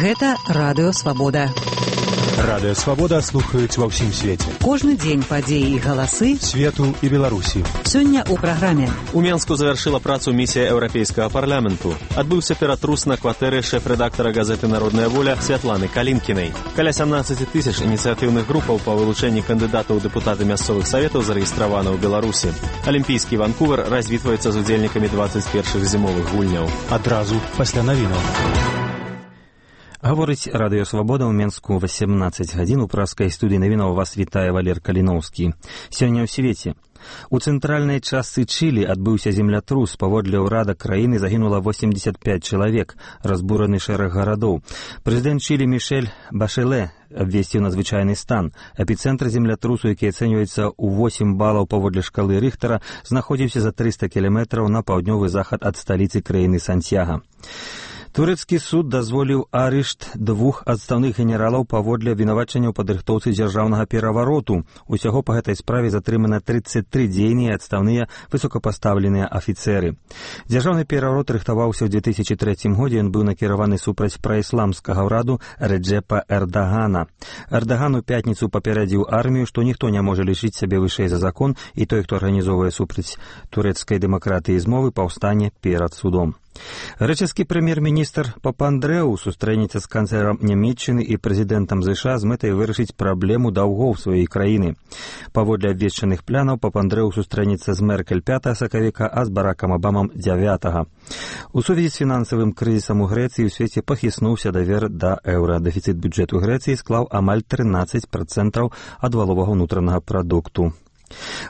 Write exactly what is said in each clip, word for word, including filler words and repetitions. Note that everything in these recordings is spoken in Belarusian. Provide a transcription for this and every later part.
Гэта Радыё Свабода. Радыё Свабода слухаюць ва ўсім свеце. Кожны дзень падзеі і галасы свету і Беларусі. Сёння ў праграме. У Менску завяршыла працу місія Еўрапейскага парламенту. Адбыўся ператрус на кватэры шэф-рэдактара газеты «Народная воля» Святланы Калінкінай. Каля сямнаццаць тысяч ініцыятыўных групаў па вылучэнні кандыдатаў у дэпутаты мясцовых саветаў зарэгістравана ў Беларусі. Алімпійскі Ванкувер развітваецца з удзельнікамі дваццаць першых зімовых гульняў. Адразу пасля навінаў. Гаворыць Радыё Свабода ў Менску васемнаццаць гадзін. У праскай студыі навінаў вас вітае Валер Каліноўскі. Сёння ў свеце. У цэнтральнай частцы Чылі адбыўся землятрус. Паводле ўрада краіны загінула восемьдесят пять чалавек, разбураны шэраг гарадоў. Прэзідэнт Чылі Мішэль Башэле абвесціў надзвычайны стан. Эпіцэнтр землятрусу, які ацэньваецца ў восемь балаў паводле шкалы Рыхтара, знаходзіўся за трыста кіламетраў на паўднёвы захад ад сталіцы краіны Сантьяга. Турэцкі суд дазволіў арышт двух адстаўных генералаў паводле абвінавачання ў падрыхтоўцы дзяржаўнага перавароту. Усяго па гэтай справе затрымана тридцать три дзейныя адстаўныя высокапастаўленыя афіцэры. Дзяржаўны пераварот рыхтаваўся ў две тысячи трэцім годзе, ён быў накіраваны супраць праісламскага ўраду Рэджэпа Эрдагана. Эрдаган у пятніцу папярэдзіў армію, што ніхто не можа лічыць сябе вышэй за закон, і той, хто арганізоўвае супраць турэцкай дэмакратыі змовы, паўстане перад судом. Грэчаскі прэм'ер-міністр Папандрэу сустрэнецца з канцлерам Нямецчыны і прэзідэнтам ЗША з мэтай вырашыць праблему даўгоў сваёй краіны. Паводле абвешчаных планаў Папандрэу сустрэнецца з Меркель пятага сакавіка, а з Баракам Абамам дзявятага. У сувязі з фінансавым крызісам у Грэцыі ў свеце пахіснуўся давер да еўра. Дэфіцыт бюджэту Грэцыі склаў амаль трынаццаць працэнтаў ад валовага ўнутранага прадукту.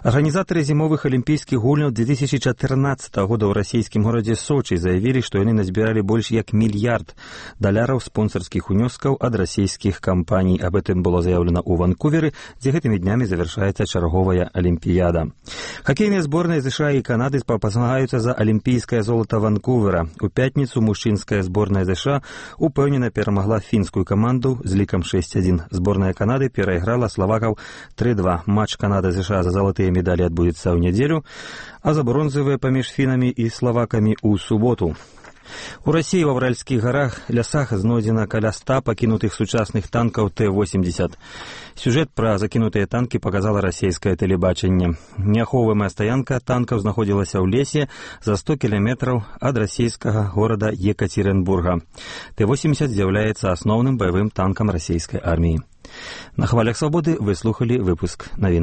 Арганізатары зімовых алімпійскіх гульняў две тысячи чатырнаццатага года ў расійскім горадзе Сочы заявілі, што яны назбіралі больш як мільярд даляраў спонсарскіх унёскаў ад расійскіх кампаній. Аб гэтым было заяўлена ў Ванкуверы, дзе гэтымі днямі завяршаецца чарговая алімпіяда. Хакейныя зборныя ЗША і Канады спамагаюцца за алімпійскае золата Ванкувера. У пятніцу мужчынская зборная ЗША упэўнена перамагла фінскую каманду з лікам шэсць адзін. Зборная Канады перайграла славакаў тры два. Матч Канада-ЗША за залатыя медалі адбудзецца ў нядзелю, а за бронзавыя паміж фінамі і славакамі ў суботу. У Расіі ва Ўральскіх гарах лясах знойдзена каля ста пакінутых сучасных танкаў Т восемьдесят. Сюжэт пра закінутыя танкі паказала расійскае тэлебачанне. Неахоўваемая стаянка танкаў знаходзілася ў лесе за сто кіламетраў ад расійскага горада Екатеринбурга. Т восемьдесят з'яўляецца асноўным баявым танкам расійскай арміі. На хвалях Свабоды вы слухалі выпуск навінаў.